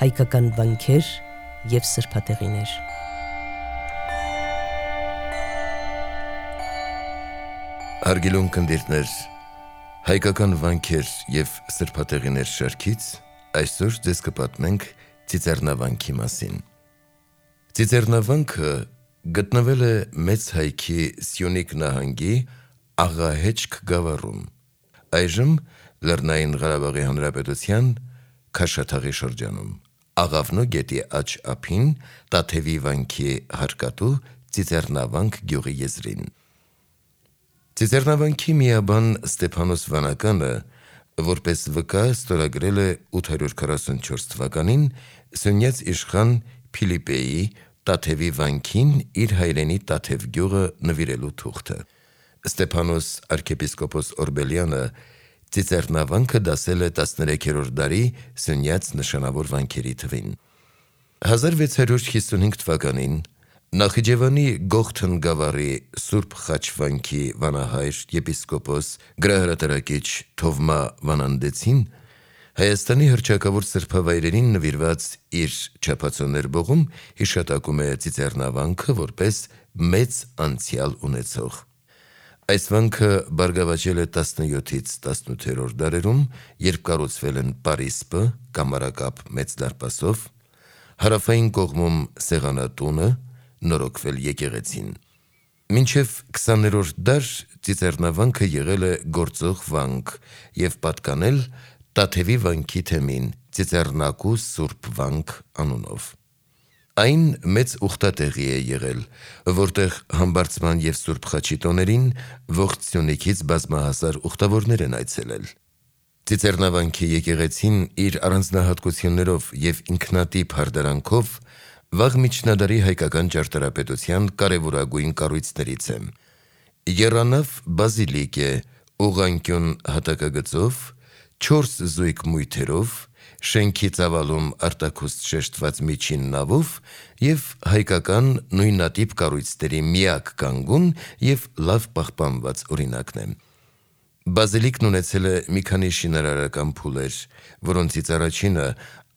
հայկական վանքեր և սրբատեղիներ։ Հարգելուն կնդիրներ, հայկական վանքեր և սրբատեղիներ շարքից այսօր ձեզ կպատմենք Ծիծեռնավանքի մասին։ Ծիծեռնավանքը գտնվել է Մեծ Հայքի Սյունիք նահանգի Աղահեչք գավառում, այժմ Լեռնային Ղարաբաղի Հանրապետության Քաշաթաղի շրջանում, Աղավնո գետի աջ ափին Տաթևի վանքի հարկատու Ծիծեռնավանք գյուղի եզրին։ Ծիծեռնավանքի միաբան Ստեփանոս Վանականը որպես վկա ստորագրել է 844 թվականին Սյունյաց իշխան Փիլիպեի Տաթևի վանքին իր հայրենի Տաթև գյուղը նվիրելու թուղթը։ Ստեփանոս arczepiskopos Օրբելյանը Ծիծեռնավանքը դասել է 13-րդ դարի Սյունյաց նշանավոր վանքերի թվին։ 1655 թվականին Նախիջևանի Գողթն գավառի Սուրբ Խաչ վանքի վանահայր եպիսկոպոս գրահրատարակիչ Թովմա Վանանդեցին Հայաստանի հռչակավոր սրբավայրերին նվիրված իր չափածո ներբողում հիշատակում է Ծիծեռնավանքը որպես մեծ անցյալ ունեցող։ Այս վանքը բարգավաճել է 17-ից 18-րդ դարերում, երբ կառուցվել են պարիսպը, կամարակապ մեծ դարպասով, հարավային կողմում սեղանատունը, նորոգվել եկեղեցին։ Մինչև 20-րդ դար Ծիծեռնավանքը եղել է գործող վանք և պատկանել Տաթևի վանքի թեմին Ծիծեռնակու Սուրբ վանք անունով։ Այն մեծ ուխտատեղի է եղել, որտեղ համբարձման և Սուրբ Խաչի տոներին ողջ Սյունիքից բազմահազար ուխտավորներ են այցելել։ Ծիծեռնավանքի եկեղեցին իր առանձնահատկություններով և ինքնատիպ հարդարանքով վաղ միջնադարի հայկական ճարտարապետության կարևորագույն կառույցներից է։ Եռանավ բազիլիկ է ուղղանկյուն հատակագծով, 4 զույգ մույթերով, շենքի ծավալում արտաքուստ շեշտված միջին նավով և հայկական նույնատիպ կառույցների միակ կանգուն և լավ պահպանված օրինակն է։ Բազիլիկն ունեցել է մի քանի շինարարական փուլեր, որոնցից առաջինը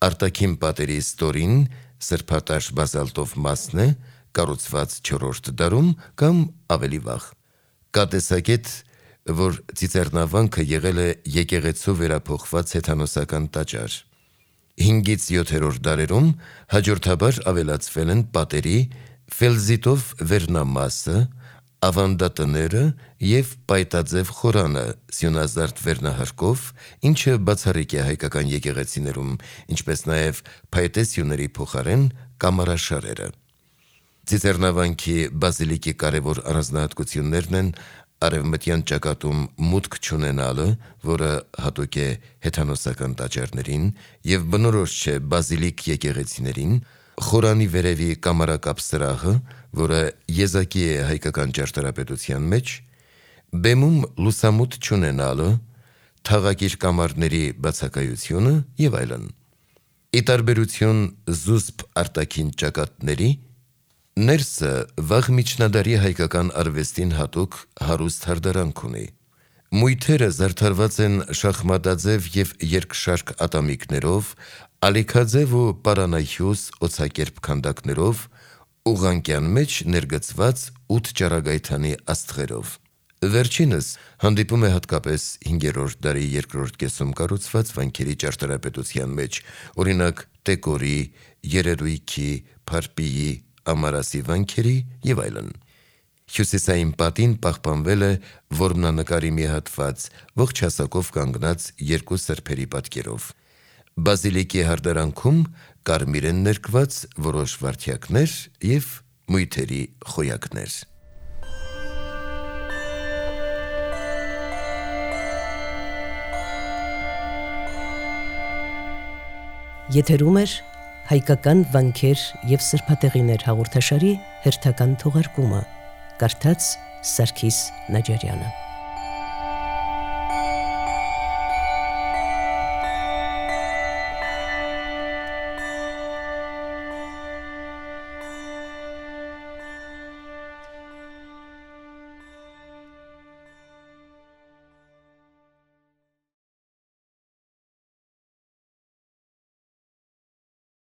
արտաքին պատերի ստորին սրբատաշ բազալտով մասն է, կառուցված 4-րդ դարում կամ ավելի վաղ։ Կա տեսակետ, որ Ծիծեռնավանքը եղել է եկեղեցու վերափոխված հեթանոսական տաճար։ 5-ից 7-րդ դարերում հաջորդաբար ավելացվել են պատերի ֆելզիտով վերնամասը, ավանդատները և պայտաձև խորանը սյունազարդ վերնահարկով, ինչը բացառիկ է հայկական եկեղեցիներում, ինչպես նաև փայտե սյուների փոխարեն կամարաշարերը։ Ծիծեռնավանքի բազիլիկի կարևոր առանձնահատկություններն են արևմտյան ճակատում մուտք չունենալը, որը հատուկ է հեթանոսական տաճարներին և բնորոշ չէ բազիլիկ եկեղեցիներին, խորանի վերևի կամարակապ սրահը, որը եզակի է հայկական ճարտարապետության մեջ, բեմում լուսամուտ չունենալը, թաղակիր կամարների բացակայությունը և այլն։ Ի տարբերություն զուսպ արտաքին ճակատների, ներսը վաղ միջնադարի հայկական արվեստին հատուկ հարուստ հարդարանք ունի։ Մույթերը զարդարված են շախմատաձև և երկշարք ատամիկներով, ալիքաձև ու պարանահյուստ օձակերպ քանդակներով, ուղղանկյան մեջ ներգծված 8 ճառագայթանի աստղերով։ Վերջինս հանդիպում է հատկապես 5-րդ դարի երկրորդ կեսում կառուցված վանքերի ճարտարապետության մեջ, օրինակ Տեկորի, Երերույքի, Փարպիի, Ամարասի վանքերի և այլն։ Հյուսիսային պատին պահպանվել է որմնանկարի մի հատված, ողջ հասակով կանգնած 2 սրբերի պատկերով։ Բազիլիկի հարդարանքում կարմիր են ներկված որոշ վարդյակներ և մույթերի խոյակներ։ Եթերում է հայկական վանքեր և սրբատեղիներ հաղորդաշարի հերթական թողարկումը, կարդաց Սարգիս Նաջարյանը։